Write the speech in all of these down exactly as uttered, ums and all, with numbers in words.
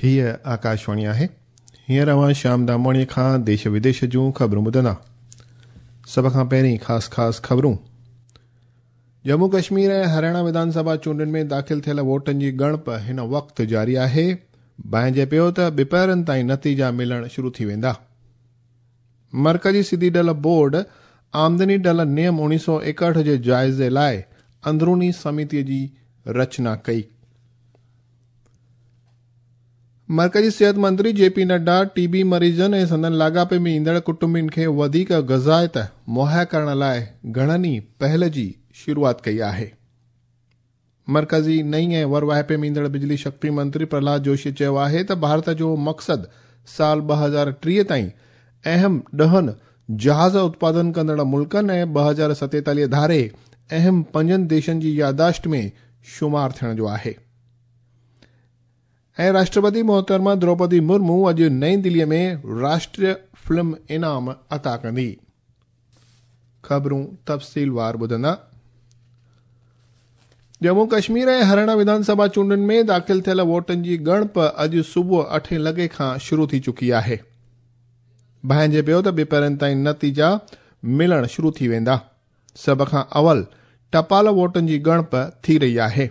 هيءَ آڪاشواڻي آهي. هينئر اوهان شيام دامواڻيءَ کان ديش وديش جون خبرون ٻڌندا. سڀ کان پهرين خاص خاص خبرون. ڄمون ڪشمير ۽ هرياڻا وڌان سڀا چونڊن ۾ داخل ٿيل ووٽن جي ڳڻپ هن وقت جاري آهي. ڀانئجي پيو ته ٻپهرن تائين نتيجا ملڻ شروع ٿي ويندا. مرڪزي سڌي ڍل بورڊ آمدني ڍل نيم اڻويهه سؤ ايڪهٺ جي جائزي لاءِ اندروني سمتيءَ جي رچنا ڪئي. مرڪزي صحت منتري جي پي نڊا ٽي بي مريضن ۽ سندن لاڳاپي ۾ ايندڙ ڪٽنبن کي وڌيڪ غذائيت مهيا ڪرڻ لاءِ گهڻن ئي پهل جي شروعات ڪئي آهي. مرڪزي نئين ۽ ور واهپي ۾ ايندڙ بجلي شڪتي منتري پرهلاد جوشي چيو آهي ته ڀارت جو مقصد سال ٻه هزار ٽيهه تائين اهم ڏهن جهاز اتپادن ڪندڙ ملڪن ۽ ٻه هزار ستيتاليهه ڌاري اهم پنجن ديشن جي ياداشت ۾ شمار ٿيڻ جو آهي. ۽ راشٽرپتي محترمه دروپدي مرمو اڄ نئين دليءَ ۾ راشٽريه فلم انعام عطا ڪندي. خبرون تفصيلوار ٻڌندا. ڄمون ڪشمير ۽ هرياڻا وڌان سڀا چونڊن ۾ داخل ٿيل ووٽن جي ڳڻپ اڄ صبح اٺين لڳي کان شروع ٿي چڪي آهي. ڀانئجي پيو ته ٻپهرن تائين نتيجا ملڻ شروع ٿي ويندا. سڀ کان اول ٽپال ووٽن جي ڳڻپ ٿي رهي آهي.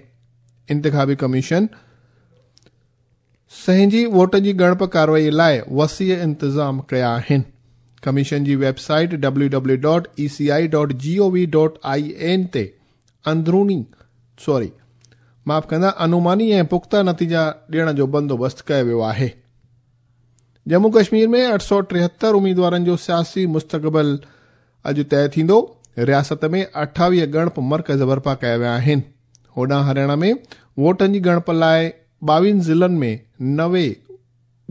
انتخابي ڪميشن سهنجي ووٽن جي ڳڻپ ڪارروائي لاءِ وسيع انتظام ڪيا آهن. ڪميشن جي website W W dot E C I dot G O V dot I N تي اندروني سوري معاف ڪندا انوماني ۽ پختا نتيجا ڏيڻ جو بندوبست ڪيو ويو آهي. ڄمون ڪشمير ۾ اٺ سؤ ٽيهتر اميدوارن جو سياسي مستقبل اڄ طئي ٿيندو. رياست ۾ اٺاويهه ڳڻپ مرڪز برپا ڪيا ويا آهن. هوڏانهن هرياڻا ۾ ووٽن جي ڳڻپ لاءِ ٻاويهن ضلعن ۾ نوي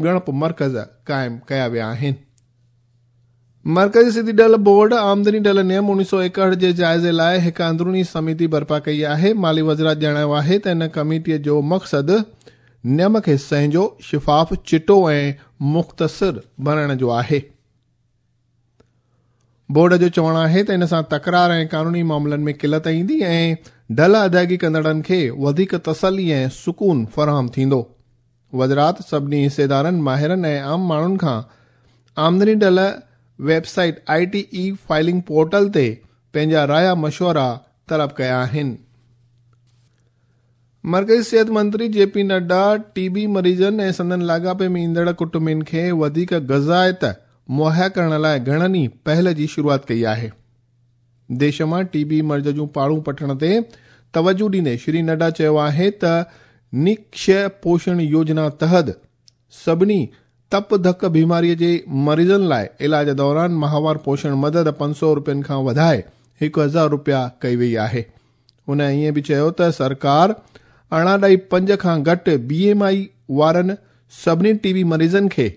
ڳڻپ مرڪز قائم ڪيا ويا آهن. مرڪزي سڌي ڍل بورڊ آمدني ڍل نيم اڻويهه سؤ ايڪهٺ جي جائزي لاءِ هڪ اندروني سمتي برپا ڪئي آهي. مالي وزارت ڄاڻايو آهي ته هن ڪميٽيءَ جو مقصد نيم کي سهنجو، شفاف، چٽو ۽ مختصر بڻائڻ جو آهي. بورڊ جو چوڻ آهي ته ان سان تڪرار ۽ قانوني معاملن ۾ قلت ايندي ۽ ڍل ادائگي ڪندڙن کي وڌيڪ تسلي ۽ سڪون فراهم ٿيندو. وزارت سڀني حصيدارن، ماهرن ۽ عام ماڻهن کان آمدني ڍل website I T e filing portal تي پنهنجا رايا مشورا طلب ڪيا آهن. مرڪزي صحت منتري جي پي نڊا ٽي بي مريضن ۽ سندن لاڳاپي ۾ ايندڙ ڪٽنبن کي وڌيڪ غذائيت مهيا ڪرڻ لاءِ گهڻن ئي پهل جي شروعات ڪئي آهي. ديش مان ٽي بي مرض جون پاڙون پٽڻ تي توجهه ڏيندي شري نڊا چيو آهي ته نڪشي پوشڻ يوجنا تحت سڀني تپ ڌڪ بيماريءَ جي مريضن لاءِ علاج دوران ماهوار پوشڻ مدد پنج سؤ رپين کان وڌائي هڪ هزار رپيا ڪئي وئي آهي. هن ائين به چيو ته سرڪار ارڙهن ڏهه پنج کان گهٽ بي ايم I وارن سڀني ٽي بي مريضن کي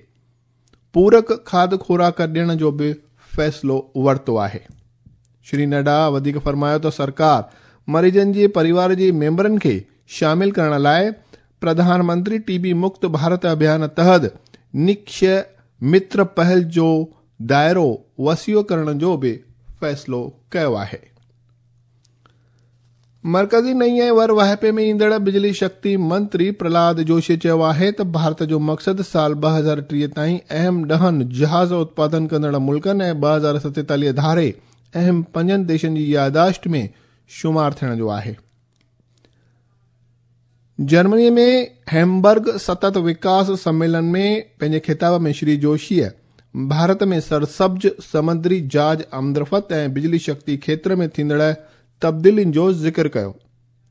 پورڪ کاڌ خوراڪ ڏيڻ جو به فيصلو ورتو آهي. شري نڊا وڌيڪ فرمايو ته سرڪار مريضن جي پريوار جي ميمبرن کي شامل ڪرڻ لاءِ پرڌان منتري ٽي بي مڪت ڀارت اڀيان تحت نڪشي متر پهل جو دائرو وسيع ڪرڻ جو به فيصلو ڪيو آهي. مرڪزي نئين ۽ ور واهپي ۾ ايندڙ بجلي شڪتي منتري پرهلاد جوشي چيو آهي ته ڀارت جو مقصد سال ٻه هزار ٽيهه تائين اهم ڏهن جهاز اتپادن ڪندڙ ملڪن ۽ ٻه هزار ستيتاليهه ڌاري اهم پنجن ديشن جي ياداشت ۾ شمار ٿيڻ جو آهي. جرمنيءَ ۾ هيمبرگ ستت وڪاس سميلن ۾ پنهنجي خطاب ۾ شري جوشيءَ ڀارت ۾ سرسبز سمندري جهاز آمدرفت ۽ بجلي شڪتي کيتر ۾ ٿيندڙ تبديلين جو ذڪر ڪيو.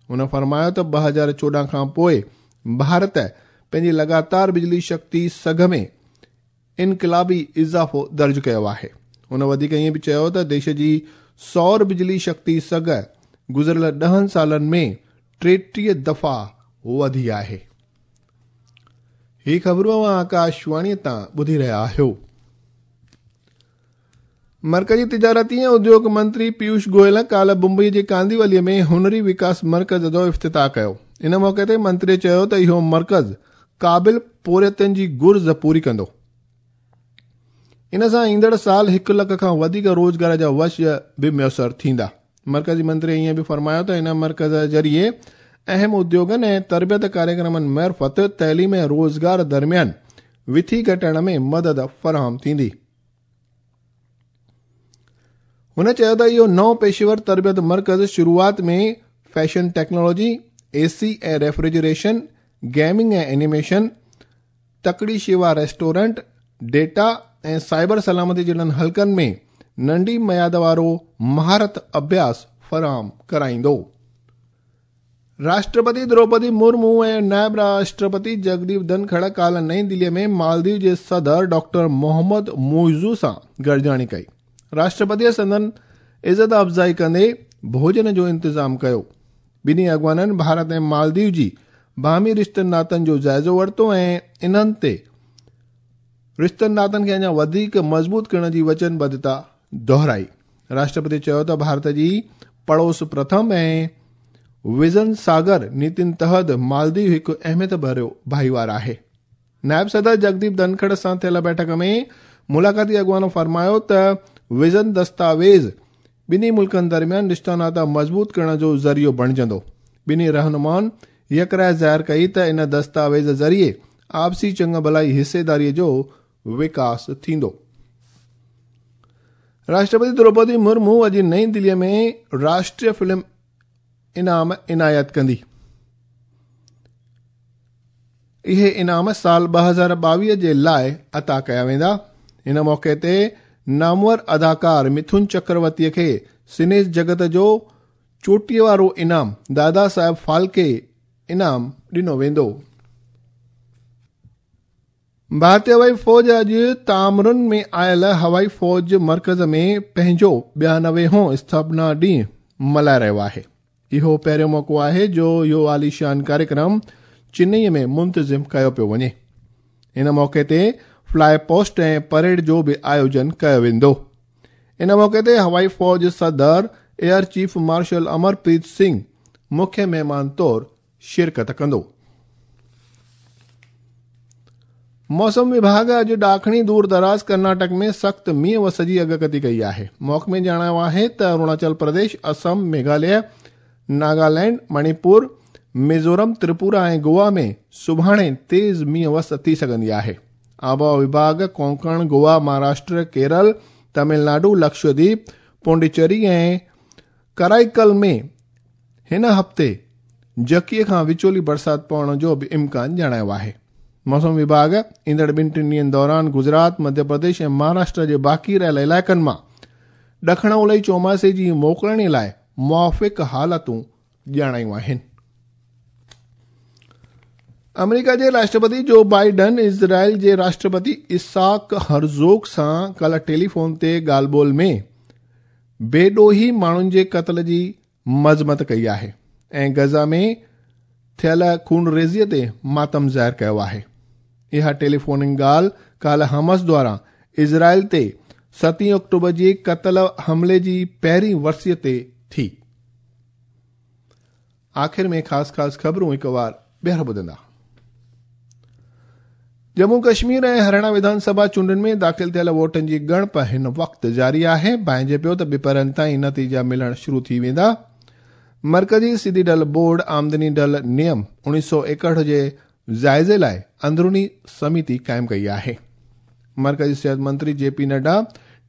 هن فرمايو ته ٻه هزار چوڏهن کان پوءِ ڀارت پنهنجي لڳاتار بجلي شڪتي سگهه ۾ انقلابي اضافو درج ڪيو آهي. هن وڌيڪ ائين به چيو ته ديش جي سور بجلي شڪتي سگهه گذريل ڏهن سالن ۾ ٽيٽيهه دفعا وڌي آهي. هي خبرون اوهان آڪاشواڻيءَ تان ٻڌي رهيا آهيو. مرڪزي تجارتي ۽ اديوگ منتري پيوش گويل ڪالهه ممبئي جي ڪانديوليءَ ۾ هنري وڪاس مرڪز جو افتتاح ڪيو. ان موقعي تي منتري چيو ته اهو مرڪز قابل پورهيتن جي گهرج پوري ڪندو. ان سان ايندڙ سال هڪ لک کان وڌيڪ روزگار جا وش به ميسر ٿيندا. مرڪزي منتري ائين به فرمايو ته ان مرڪز ذريعي अहम उद्योगनि ऐं तरबियत कार्यक्रमनि मार्फ़त तइलीम ऐं रोज़गार दरमियान विथी घटाइण में मदद फराहम थींदी। हुन चयो त इहो नओं पेशेवर तरबियत मर्कज़ शुरूआत में फैशन टेक्नोलॉजी, एसी ऐं रेफ्रिजरेशन, गेमिंग ऐं एनिमेशन, तकड़ी शेवा रेस्टोरेंट, डेटा ऐं साइबर सलामती जहिड़नि हलकनि में नंढी मयाद वारो महारत अभ्यास फराहम कराईंदो। राष्ट्रपति द्रौपदी मुर्मू ऐं नायब राष्ट्रपति जगदीप धनखड़ काल्ह नई दिल्लीअ में मालदीव जे सदर डॉक्टर मोहम्मद मुइज़ू सां गॾिजाणी कई। राष्ट्रपतीअ संदन इज़त अफ़ज़ाई कंदे भोजन जो इंतज़ाम कयो। ॿिन्ही अॻवाननि भारत ऐं मालदीव जी बाहमी रिश्तनि नातनि जो जाइज़ो वरितो ऐं इन्हनि ते रिश्तनि नातनि खे अञा वधीक मज़बूत करण जी वचनबद्धता दोहराई। राष्ट्रपति चयो त भारत जी पड़ोस प्रथम ऐं विज़न सागर नीतियुनि तहत मालदीव हिकु अहमियत भरियो भाईवार आहे। नायब सदर जगदीप धनखड़ सां थियल बैठक में मुलाक़ाती अॻवान फरमायो त विज़न दस्तावेज़ ॿिन्ही मुल्कनि दरमियान रिश्ता नाता मज़बूत करण जो ज़रियो बणिजंदो। ॿिन्ही रहनुमाउनि यकराय ज़ाहिर कई त इन दस्तावेज़ ज़रिए आपसी चंग भलाई हिस्सेदारीअ जो विकास थींदो। राष्ट्रपति द्रौपदी मुर्मू अॼु नई दिल्लीअ में राष्ट्रीय फिल्म इनाम इनायत कंदी। इहे इनाम साल ॿ हज़ार ॿावीह जे लाइ अता कया वेंदा। इन मौक़े ते नामवर अदाकार मिथुन चक्रवर्तीअ खे सिने जगत जो चोटीअ वारो इनाम दादा साहिब फाल्के इनाम ॾिनो वेंदो। भारतीय हवाई फ़ौज अॼु तामरुन में आयल हवाई फ़ौज मर्कज़ में पंहिंजो ॿियानवे स्थापना ॾींहुं मल्हाए रहियो आहे। इहो पहिरियों मौक़ो आहे जो इहो आलीशान कार्यक्रम चेन्नई में मुंतज़िम कयो पियो वञे। इन मौक़े ते फ्लाई पोस्ट ऐं परेड जो बि आयोजन कयो वेंदो। इन मौक़े ते हवाई फ़ौज सदर air chief marshal Amarpreet Singh मुख्य महिमान तौर शिरकत कंदो। मौसम विभाग अॼु ॾाखणी दूर दराज़ कर्नाटक में सख़्तु मींहुं वस जी अॻकथी कई आहे। महकमे ॼाणायो आहे त अरुणाचल प्रदेश, असम, मेघालय, नागालैंड, मणिपुर, मिज़ोरम, त्रिपुरा ऐं गोवा में सुभाणे तेज़ मींहुं वस थी सघंदी आहे। आबहावा विभाग कोंकण, गोवा, महाराष्ट्र, केरल, तमिलनाडु, लक्षद्वीप, पौंडीचेरी ऐं कराईकल में हिन हफ़्ते जकीअ खां विचोली बरसाति पवण जो बि इम्कान ॼाणायो आहे। मौसम विभाग ईंदड़ ॿिनि टिनि ॾींहंनि दौरान गुजरात, मध्य प्रदेश ऐं महाराष्ट्र जे बाक़ी रहियल इलाइक़नि मां ॾखण ओलई चौमासे जी मोकिलणे लाइ मुआफ़िक़ हालतूं ॼाणायूं आहिनि। अमेरिका जे राष्ट्रपति जो बाइडन इज़राइल जे राष्ट्रपति इसाक हर्ज़ोग सां काल्ह टेलीफोन ते ॻाल्हि ॿोल में बेॾोही माण्हुनि जे क़तल जी मज़मत कई आहे ऐं गज़ा में थियल खूनरेज़ीअ ते मातम ज़ाहिर कयो आहे। इहा टेलीफोनिक ॻाल्हि काल्ह हमास द्वारा इज़राइल ते सतीं अक्टूबर जे क़तल हमले जी पहिरीं वरसीअ ते थी। आख़िर में ख़ासि ख़ासि ख़बरूं हिकु वार ॿीहर ॿुधंदा। जम्मू कश्मीर ऐं हरियाणा विधानसभा चूंडनि में दाख़िल थियल वोटनि जी ॻणप हिन वक़्तु जारी आहे। भांइजे पियो त ॿिपहरनि ताईं नतीजा मिलणु शुरू थी वेंदा। मर्कज़ी सिधी ढल बोर्ड आमदनी ढल नियम उणिवीह सौ एकहठि जे जाइज़े लाइ अंदरूनी समिति क़ाइमु कई आहे। मर्कज़ी सिहत मंत्री जे पी नड्डा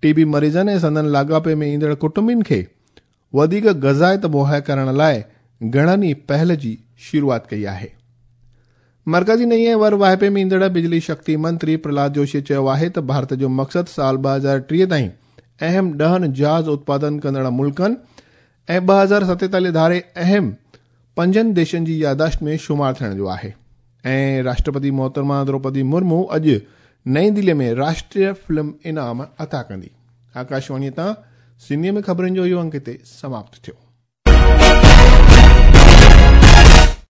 टीबी मरीज़नि ऐं संदन लाॻापे में ईंदड़ कुटुंबियुनि खे वधीक ग़ज़ायत मुहैया करण लाइ घणनि ई पहल जी शुरूआत कई आहे। मर्कज़ी नई ऐं वर वाहिपे में ईंदड़ बिजली शक्ति मंत्री प्रहलाद जोशी चयो आहे त भारत जो मक़सदु साल ॿ हज़ार टीह ताईं अहम ॾहनि जहाज़ उत्पादन कंदड़ मुल्कनि ऐं ॿ हज़ार सतेतालीह धारे अहम पंजनि देशनि जी यादाश्त में शुमार थियण जो आहे। ऐं राष्ट्रपति मोहतरमा द्रौपदी मुर्मू अॼु नई दिल्लीअ में राष्ट्रीय फिल्म इनाम अता कंदी। आकाशवाणीअ तां सिंधीअ में ख़बरुनि जो इहो अंक हिते समाप्त थियो।